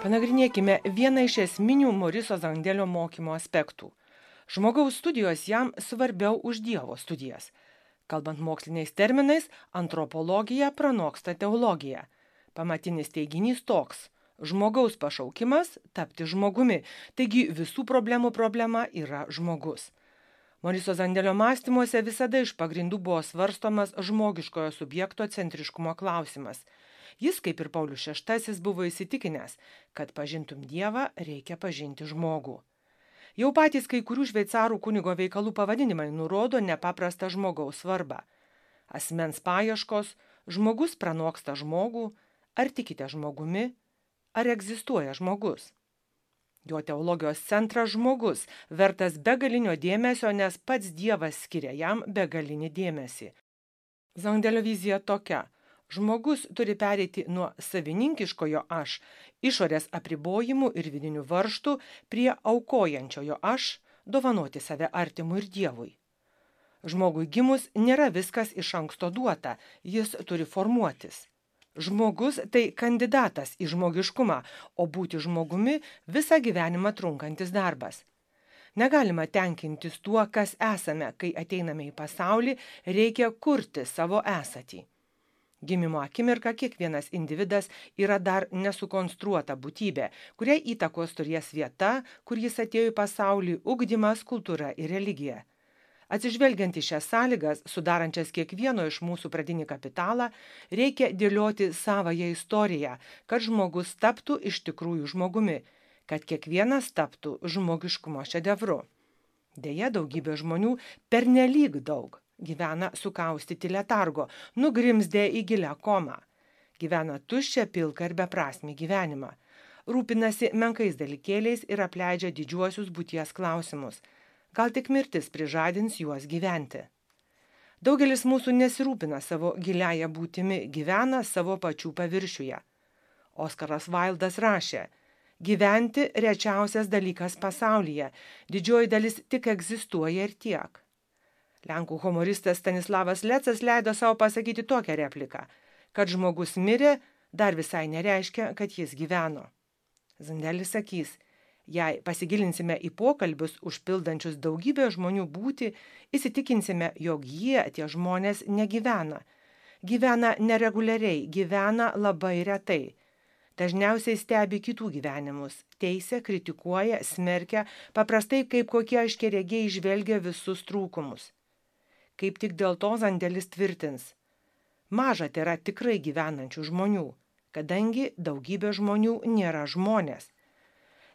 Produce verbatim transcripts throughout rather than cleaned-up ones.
Panagrinėkime vieną iš esminių Moriso Zandelio mokymo aspektų. Žmogaus studijos jam svarbiau už Dievo studijas. Kalbant moksliniais terminais, antropologija pranoksta teologiją. Pamatinis teiginys toks: žmogaus pašaukimas tapti žmogumi, taigi visų problemų problema yra žmogus. Moriso Zandelio mąstymuose visada iš pagrindų buvo svarstomas žmogiškojo subjekto centriškumo klausimas. Jis, kaip ir Paulius šeštasis, buvo įsitikinęs, kad pažintum Dievą, reikia pažinti žmogų. Jau patys kai kurių šveicarų kunigo veikalų pavadinimai nurodo nepaprastą žmogaus svarbą. Asmens paieškos, žmogus pranoksta žmogų, ar tikite žmogumi, ar egzistuoja žmogus. Jo teologijos centras žmogus, vertas begalinio dėmesio, nes pats Dievas skiria jam begalinį dėmesį. Zandelio vizija tokia: žmogus turi pereiti nuo savininkiškojo aš, išorės apribojimų ir vidinių varžtų, prie aukojančiojo aš, dovanoti save artimui ir Dievui. Žmogui gimus nėra viskas iš anksto duota, jis turi formuotis. Žmogus tai kandidatas į žmogiškumą, o būti žmogumi visą gyvenimą trunkantis darbas. Negalima tenkintis tuo, kas esame, kai ateiname į pasaulį, reikia kurti savo esatį. Gimimo akimirka kiekvienas individas yra dar nesukonstruota būtybė, kuriai įtakos turės vieta, kur jis atėjo į pasaulį, ugdymas, kultūra ir religija. Atsižvelgiant į šias sąlygas, sudarančias kiekvieno iš mūsų pradinį kapitalą, reikia dėlioti savąją istoriją, kad žmogus taptų iš tikrųjų žmogumi, kad kiekvienas taptų žmogiškumo šedevru. Deja, daugybė žmonių pernelyg daug gyvena sukaustyti letargo, nugrimzdę į gilią komą. Gyvena tuščią, pilką ir beprasmį gyvenimą. Rūpinasi menkais dalykėliais ir apleidžia didžiuosius būties klausimus. Gal tik mirtis prižadins juos gyventi. Daugelis mūsų nesirūpina savo giliąją būtimi, gyvena savo pačių paviršiuje. Oskaras Vaildas rašė: gyventi rečiausias dalykas pasaulyje, didžioji dalis tik egzistuoja ir tiek. Lenkų humoristas Stanislavas Lecas leido savo pasakyti tokią repliką: kad žmogus mirė, dar visai nereiškia, kad jis gyveno. Zandelis sakys: jei pasigilinsime į pokalbius užpildančius daugybę žmonių būtį, įsitikinsime, jog jie, tie žmonės, negyvena. Gyvena nereguliariai, gyvena labai retai. Dažniausiai stebi kitų gyvenimus, teisia, kritikuoja, smerkia, paprastai kaip kokie aiškiaregiai žvelgia visus trūkumus. Kaip tik dėl to Zandelis tvirtins: maža tėra tikrai gyvenančių žmonių, kadangi daugybė žmonių nėra žmonės.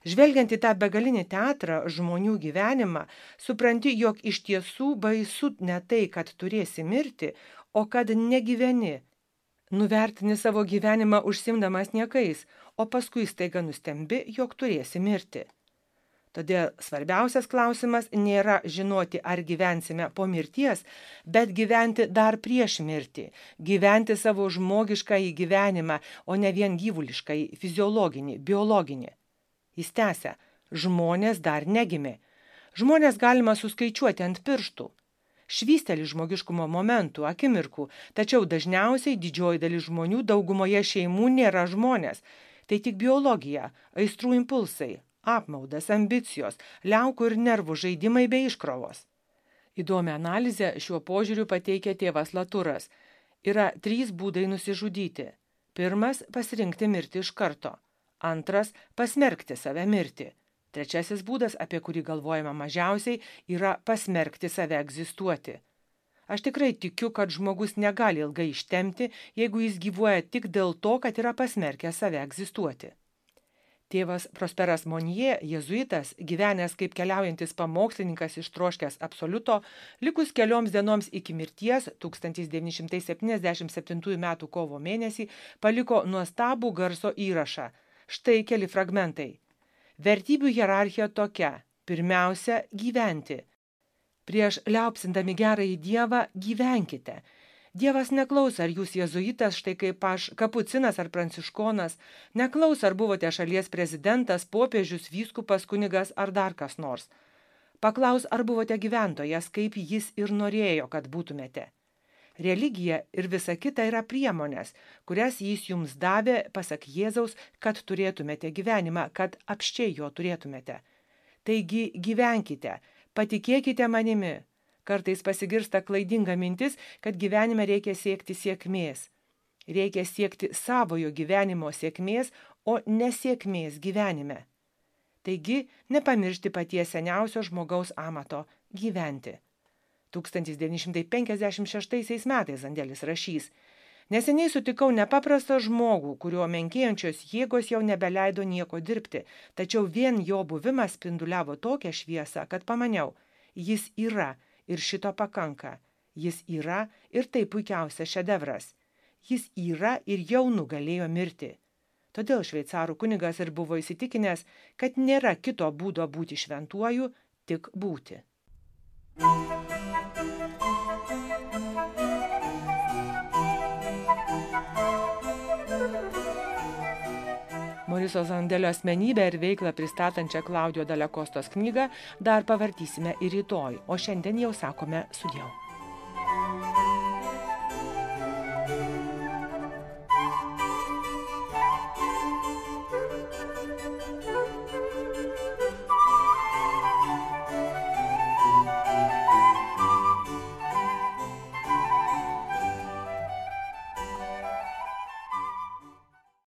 Žvelgiant į tą begalinį teatrą, žmonių gyvenimą, supranti, jog iš tiesų baisu ne tai, kad turėsi mirti, o kad negyveni. Nuvertini savo gyvenimą užsimdamas niekais, o paskui staiga nustembi, jog turėsi mirti. Todėl svarbiausias klausimas nėra žinoti, ar gyvensime po mirties, bet gyventi dar prieš mirtį, gyventi savo žmogiškąjį gyvenimą, o ne vien gyvuliškąjį, fiziologinį, biologinį. Jis tęsia: žmonės dar negimė. Žmonės galima suskaičiuoti ant pirštų. Švysteli žmogiškumo momentų, akimirkų, tačiau dažniausiai didžioji dalis žmonių daugumoje šeimų nėra žmonės. Tai tik biologija, aistrų impulsai, apmaudas, ambicijos, liaukų ir nervų žaidimai bei iškrovos. Įdomią analizę šiuo požiūriu pateikia tėvas Laturas. Yra trys būdai nusižudyti. Pirmas – pasirinkti mirtį iš karto. Antras – pasmerkti save mirti. Trečiasis būdas, apie kurį galvojama mažiausiai, yra pasmerkti save egzistuoti. Aš tikrai tikiu, kad žmogus negali ilgai ištempti, jeigu jis gyvuoja tik dėl to, kad yra pasmerkęs save egzistuoti. Tėvas Prosperas Monje, jėzuitas, gyvenęs kaip keliaujantis pamokslininkas ištroškęs absoliuto, likus kelioms dienoms iki mirties, tūkstantis devyni šimtai septyniasdešimt septintųjų metų kovo mėnesį, paliko nuostabų garso įrašą. Štai keli fragmentai. Vertybių hierarchija tokia. Pirmiausia, gyventi. Prieš liaupsindami gerąjį Dievą gyvenkite. Dievas neklaus, ar jūs jėzuitas, štai kaip aš, kapucinas ar pranciškonas, neklaus, ar buvote šalies prezidentas, popiežius, vyskupas, kunigas ar dar kas nors. Paklaus, ar buvote gyventojas, kaip jis ir norėjo, kad būtumėte. Religija ir visa kita yra priemonės, kurias jis jums davė, pasak Jėzaus, kad turėtumėte gyvenimą, kad apsčiai jo turėtumėte. Taigi gyvenkite, patikėkite manimi. Kartais pasigirsta klaidinga mintis, kad gyvenime reikia siekti sėkmės. Reikia siekti savojo gyvenimo sėkmės, o nesėkmės gyvenime. Taigi nepamiršti paties seniausio žmogaus amato – gyventi. tūkstantis devyni šimtai penkiasdešimt šeštaisiais metais Zandelis rašys: neseniai sutikau nepaprastą žmogų, kurio menkėjančios jėgos jau nebeleido nieko dirbti, tačiau vien jo buvimas spinduliavo tokią šviesą, kad pamaniau, jis yra ir šito pakanka. Jis yra ir tai puikiausias šedevras. Jis yra ir jau nugalėjo mirtį. Todėl šveicarų kunigas ir buvo įsitikinęs, kad nėra kito būdo būti šventuoju, tik būti. Moriso Zandelio asmenybę ir veiklą pristatančią Klaudijo Dale Kostos knygą dar pavartysime ir rytoj, o šiandien jau sakome sudieu.